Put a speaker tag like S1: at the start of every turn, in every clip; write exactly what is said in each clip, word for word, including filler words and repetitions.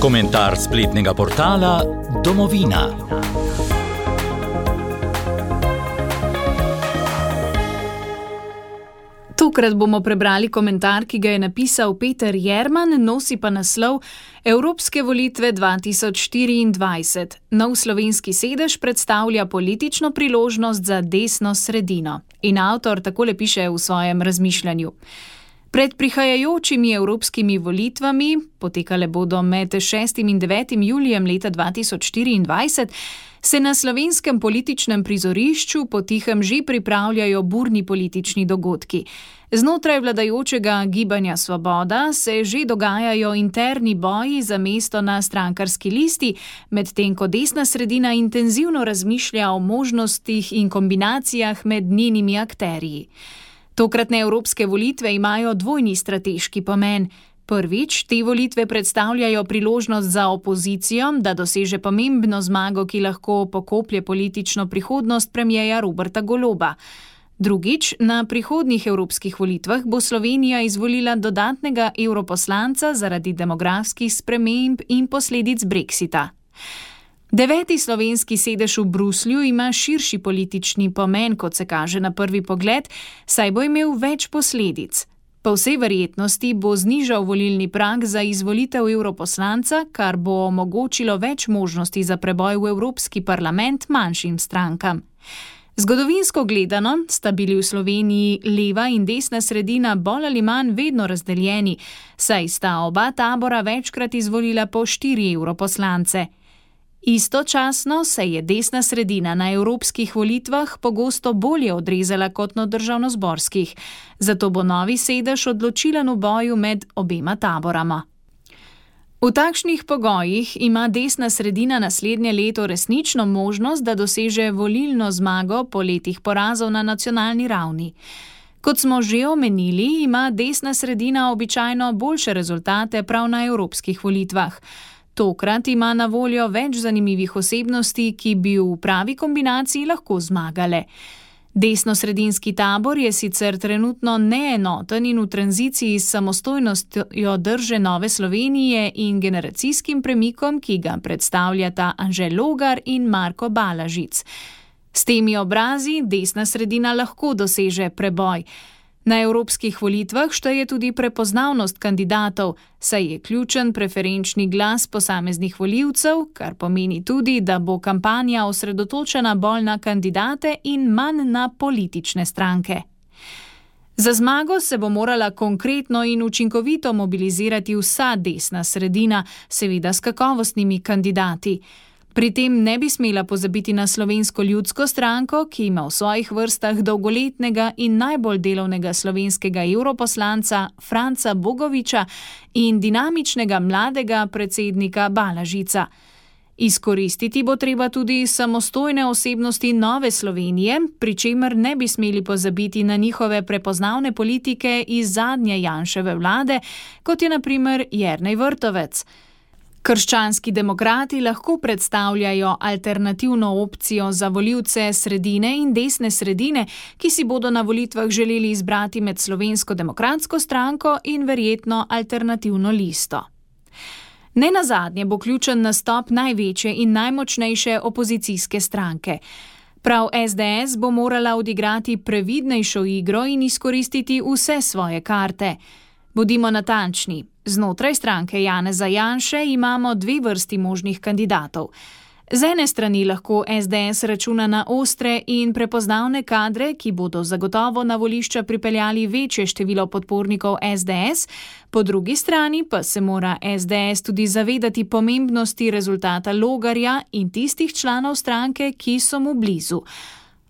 S1: Komentar spletnega portala Domovina.
S2: Tokrat bomo prebrali komentar, ki ga je napisal Peter Jerman, nosi pa naslov Evropske volitve dva tisoč štiriindvajset. Nov slovenski sedež predstavlja politično priložnost za desno sredino. In avtor takole piše v svojem razmišljanju. Pred prihajajočimi evropskimi volitvami, potekale bodo med šestim in devetim julijem leta dva tisoč štiriindvajset, se na slovenskem političnem prizorišču potihem že pripravljajo burni politični dogodki. Znotraj vladajočega Gibanja Svoboda se že dogajajo interni boji za mesto na strankarski listi, medtem ko desna sredina intenzivno razmišlja o možnostih in kombinacijah med njenimi akterji. Tokratne evropske volitve imajo dvojni strateški pomen. Prvič, te volitve predstavljajo priložnost za opozicijo, da doseže pomembno zmago, ki lahko pokoplje politično prihodnost premierja Roberta Goloba. Drugič, na prihodnjih evropskih volitvah bo Slovenija izvolila dodatnega evroposlanca zaradi demografskih sprememb in posledic Brexita. Deveti slovenski sedež v Bruslju ima širši politični pomen, kot se kaže na prvi pogled, saj bo imel več posledic. Po vsej verjetnosti bo znižal volilni prag za izvolitev evroposlanca, kar bo omogočilo več možnosti za preboj v Evropski parlament manjšim strankam. Zgodovinsko gledano sta bili v Sloveniji leva in desna sredina bolj ali manj vedno razdeljeni, saj sta oba tabora večkrat izvolila po štiri evroposlance. Istočasno se je desna sredina na evropskih volitvah pogosto bolje odrezala kot na državnozborskih, zato bo novi sedež odločilen v boju med obema taborama. V takšnih pogojih ima desna sredina naslednje leto resnično možnost, da doseže volilno zmago po letih porazov na nacionalni ravni. Kot smo že omenili, ima desna sredina običajno boljše rezultate prav na evropskih volitvah. Tokrat ima na voljo več zanimivih osebnosti, ki bi v pravi kombinaciji lahko zmagale. Desnosredinski tabor je sicer trenutno neenoten in v tranziciji s samostojnostjo drže Nove Slovenije in generacijskim premikom, ki ga predstavljata Anže Logar in Marko Balažic. S temi obrazi desna sredina lahko doseže preboj. Na evropskih volitvah šteje tudi prepoznavnost kandidatov, saj je ključen preferenčni glas posameznih volivcev, kar pomeni tudi, da bo kampanja osredotočena bolj na kandidate in manj na politične stranke. Za zmago se bo morala konkretno in učinkovito mobilizirati vsa desna sredina, seveda s kakovostnimi kandidati. Pri tem ne bi smela pozabiti na Slovensko ljudsko stranko, ki ima v svojih vrstah dolgoletnega in najbolj delovnega slovenskega evroposlanca Franca Bogoviča in dinamičnega mladega predsednika Balažica. Izkoristiti bo treba tudi samostojne osebnosti Nove Slovenije, pri čemer ne bi smeli pozabiti na njihove prepoznavne politike iz zadnje Janševe vlade, kot je na primer Jernej Vrtovec. Krščanski demokrati lahko predstavljajo alternativno opcijo za volivce sredine in desne sredine, ki si bodo na volitvah želeli izbrati med Slovensko demokratsko stranko in verjetno alternativno listo. Nenazadnje bo ključen nastop največje in najmočnejše opozicijske stranke. Prav es de es bo morala odigrati previdnejšo igro in izkoristiti vse svoje karte. Bodimo natančni. Znotraj stranke Janeza Janše imamo dve vrsti možnih kandidatov. Z ene strani lahko es de es računa na ostre in prepoznavne kadre, ki bodo zagotovo na volišča pripeljali večje število podpornikov es de es, po drugi strani pa se mora es de es tudi zavedati pomembnosti rezultata Logarja in tistih članov stranke, ki so mu blizu.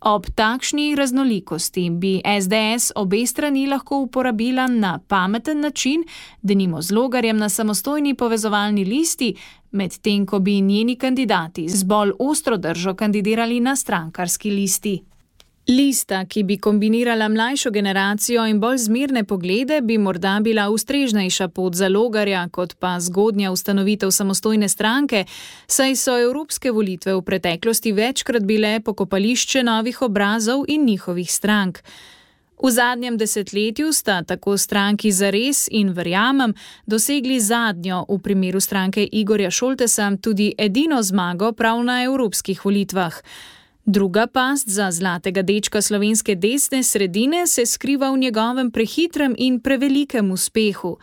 S2: Ob takšni raznolikosti bi es de es obe strani lahko uporabila na pameten način, denimo z Logarjem na samostojni povezovalni listi, medtem ko bi njeni kandidati z bolj ostro držo kandidirali na strankarski listi. Lista, ki bi kombinirala mlajšo generacijo in bolj zmerne poglede, bi morda bila ustrežnejša pot za Logarja, kot pa zgodnja ustanovitev samostojne stranke, saj so evropske volitve v preteklosti večkrat bile pokopališče novih obrazov in njihovih strank. V zadnjem desetletju sta tako stranki Zares in Verjamem dosegli zadnjo, v primeru stranke Igorja Šoltesa, tudi edino zmago prav na evropskih volitvah. Druga past za zlatega dečka slovenske desne sredine se skriva v njegovem prehitrem in prevelikem uspehu.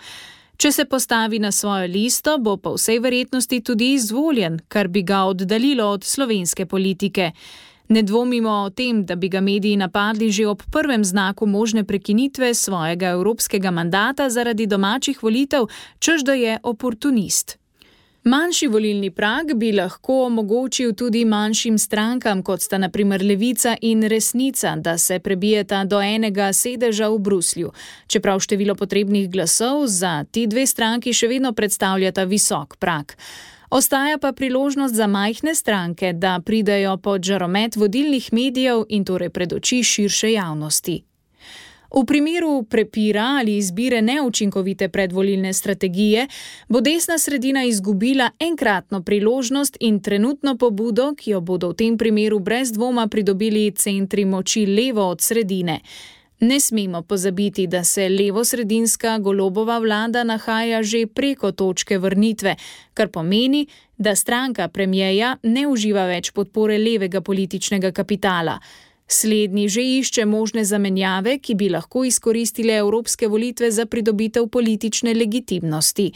S2: Če se postavi na svojo listo, bo po vsej verjetnosti tudi izvoljen, kar bi ga oddaljilo od slovenske politike. Ne dvomimo o tem, da bi ga mediji napadli že ob prvem znaku možne prekinitve svojega evropskega mandata zaradi domačih volitev, češ da je oportunist. Manjši volilni prag bi lahko omogočil tudi manjšim strankam, kot sta na primer Levica in Resnica, da se prebijeta do enega sedeža v Bruslju. Čeprav število potrebnih glasov za ti dve stranki še vedno predstavljata visok prag. Ostaja pa priložnost za majhne stranke, da pridejo pod žaromet vodilnih medijev in torej pred oči širše javnosti. V primeru prepira ali izbire neučinkovite predvolilne strategije bo desna sredina izgubila enkratno priložnost in trenutno pobudo, ki jo bodo v tem primeru brez dvoma pridobili centri moči levo od sredine. Ne smemo pozabiti, da se levo-sredinska Golobova vlada nahaja že preko točke vrnitve, kar pomeni, da stranka premierja ne uživa več podpore levega političnega kapitala. Slednji že išče možne zamenjave, ki bi lahko izkoristile evropske volitve za pridobitev politične legitimnosti.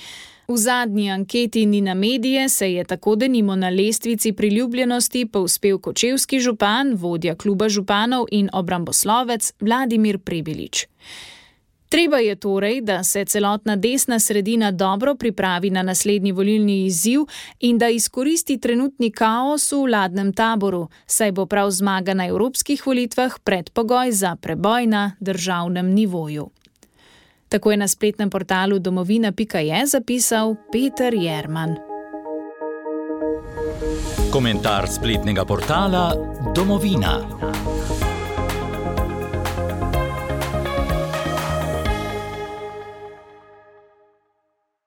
S2: V zadnji anketi Nina Medije se je tako denimo na lestvici priljubljenosti povzpel kočevski župan, vodja kluba županov in obramboslovec Vladimir Prebilič. Treba je torej, da se celotna desna sredina dobro pripravi na naslednji volilni izziv in da izkoristi trenutni kaos v vladnem taboru, saj bo prav zmaga na evropskih volitvah predpogoj za preboj na državnem nivoju. Tako je na spletnem portalu domovina pika je zapisal Peter Jerman.
S1: Komentar spletnega portala Domovina.